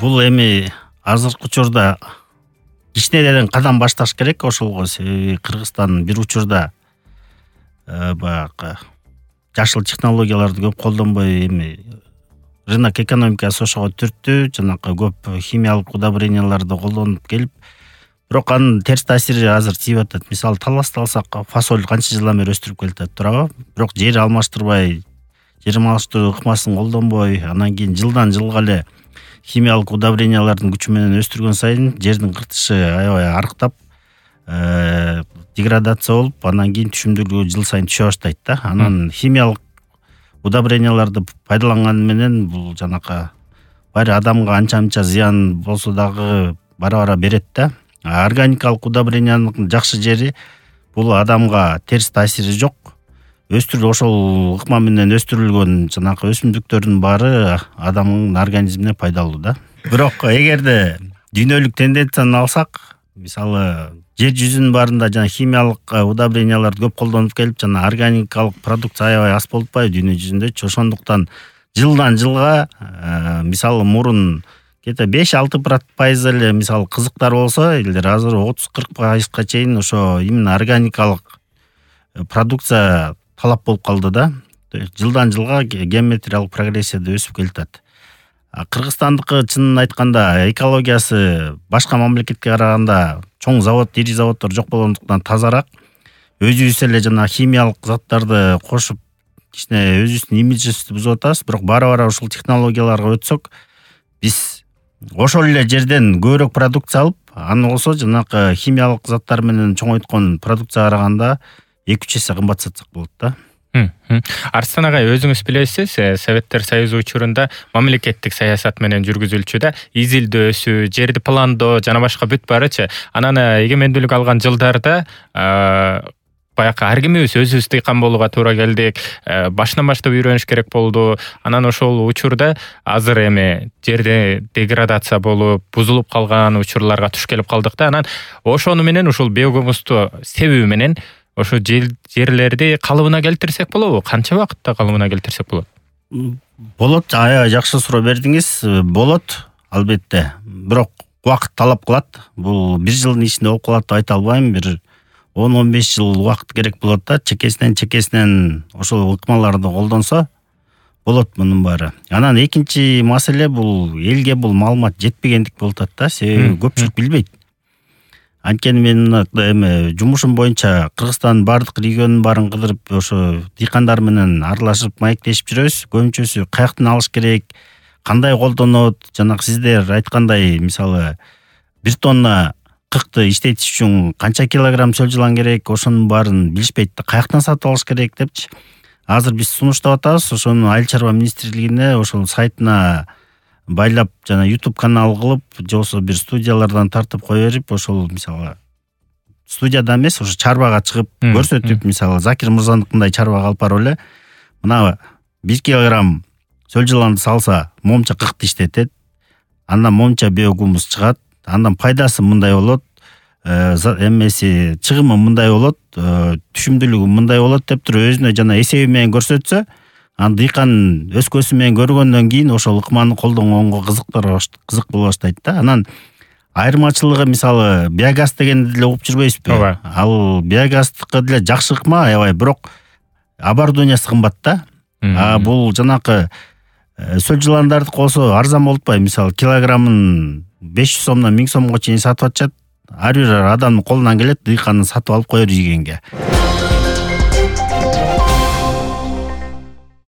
Бул эми азыркы учурда кичинеден кадам башташ керек ошолго. Себеби Кыргызстан бир учурда баягы жашыл технологияларды көп колдонбой эми рынок экономикасы ошого түрттү. Жанакы көп химиялык удобренияларды колдонуп келип, бирок анын терс таасири азыр тийип атат. Мисалы таласта алсак, фасоль канча жылдан бери өстүрүп келатат, туурабы? Бирок жер алмаштырбай, жер алмаштыруу ыкмасын колдонбой, анан кийин жылдан жылга эле химиялык удобрениялардын күчү менен өстүргөн сайын жердин кыртышы аябай арыктап, деградация болуп, анан кийин түшүмдүүлүгү жыл сайын түшө баштайт да. Анан химиялык удобренияларды пайдаланган менен бул жанакы баары адамга анча-мынча зыян болсо дагы бара-бара берет да. Органикалык удобрениянын жакшы жери бул адамга терс таасири жок. Ошол ыкма менен өстүрүлгөн жанакы өсүмдүктөрдүн баары адамдын организмине пайдалуу да. Бирок эгерде дүйнөлүк тенденцияны алсак, мисалы жер жүзүнүн баарында жана химиялык удобренияларды көп колдонуп келип, жана органикалык продукция аябай аз болуп атпайбы дүйнө жүзүндө. Ошондуктан жылдан жылга мисалы мурун 5-6% эле мисалы кызыктар болсо, элдер азыр 30-40% чейин ошо именно органикалык продукция талап болуп калды да. Жылдан жылга геометриялык прогрессияда өсүп келатат. Кыргызстандыкы чынын айтканда экологиясы башка мамлекетке караганда чоң завод, ири заводдор жок болгондуктан тазараак. Өзүбүз эле жана химиялык заттарды кошуп, кичине өзүбүздүн имиджибизди бузуп атабыз. Бирок бара-бара ушул технологияларга өтсөк, биз ошол эле жерден көбүрөөк продукция алып, аны болсо жанакы химиялык заттар менен чоңойткон продукцияга караганда 2-3 эсе кымбат сатсак болот да. Арстан агай, өзүңүз билесиз, Советтер Союзу учурунда мамлекеттик саясат менен жүргүзүлчү да, изилдөөсү, жерди пландоо жана башка бүт баарычы. Анан эгемендүүлүк алган жылдарда баягы ар кимибиз өзүбүз дыйкан болууга туура келдик. Башынан баштап үйрөнүш керек болду. Анан ошол учурда азыр эми жерде деградация болуп, бузулуп калган учурларга туш келип калдык да. Анан ошону менен ушул биогумусту себеби менен ошо жерлерди калыбына келтирсек болобу? Канча убакытта калыбына келтирсек болот? Болот, аябай жакшы суроо бердиңиз. Болот, албетте. Бирок убакыт талап кылат. Бул 1 жылдын ичинде болуп калат деп айта албайм. Бир 10-15 жыл убакыт керек болот да. Чекесинен ошол ыкмаларды колдонсо болот мунун баары. Анан экинчи маселе бул элге бул маалымат жетпегендик болуп атат да. Себеби көпчүлүк билбейт. Анткени мен эми жумушум боюнча Кыргызстандын бардык регионун баарын кыдырып, ошо дыйкандар менен аралашып, маектешип жүрөбүз. Көбүнчөсү каяктан алыш керек, кандай колдонот, жанагы сиздер айткандай, мисалы 1 тонна кыркты иштетиш үчүн канча килограмм сөл жылан керек, ошонун баарын билишпейт да, каяктан сатып алыш керек депчи. Азыр биз сунуштап атабыз, ошону Айыл чарба министрлигине, ошол сайтына байлап, жана YouTube канал кылып, же болбосо бир студиялардан тартып кое берип, ошол мисалы студияда эмес, ошо чарбага чыгып көрсөтүп, мисалы Закир мырзаныкындай чарбага алып барып эле, мына 1 килограмм сөл жыланды салса, момча кыркты иштетет, андан момча биогумус чыгат, андан пайдасы мындай болот, эмеси чыгымы мындай болот, түшүмдүүлүгү мындай болот деп туруп өзүнө жана эсеби менен көрсөтсө, ан дыйкан өз көзү менен көргөндөн кийин ошол ыкманы колдонгонго кызык боло баштайт да. Анан айырмачылыгы мисалы биогаз дегенди деле угуп жүрбөйсүзбү? Ал биогаздыкы деле жакшы ыкма, аябай, бирок оборудованиясы кымбат да. Бул жанакы сөл жыландарды болсо арзан болуп атпайбы? Мисалы килограммын 500 сомдон 1000 сомго чейин сатып атышат. Ар бир адамдын колунан келет дыйканын сатып алып кое жегенге.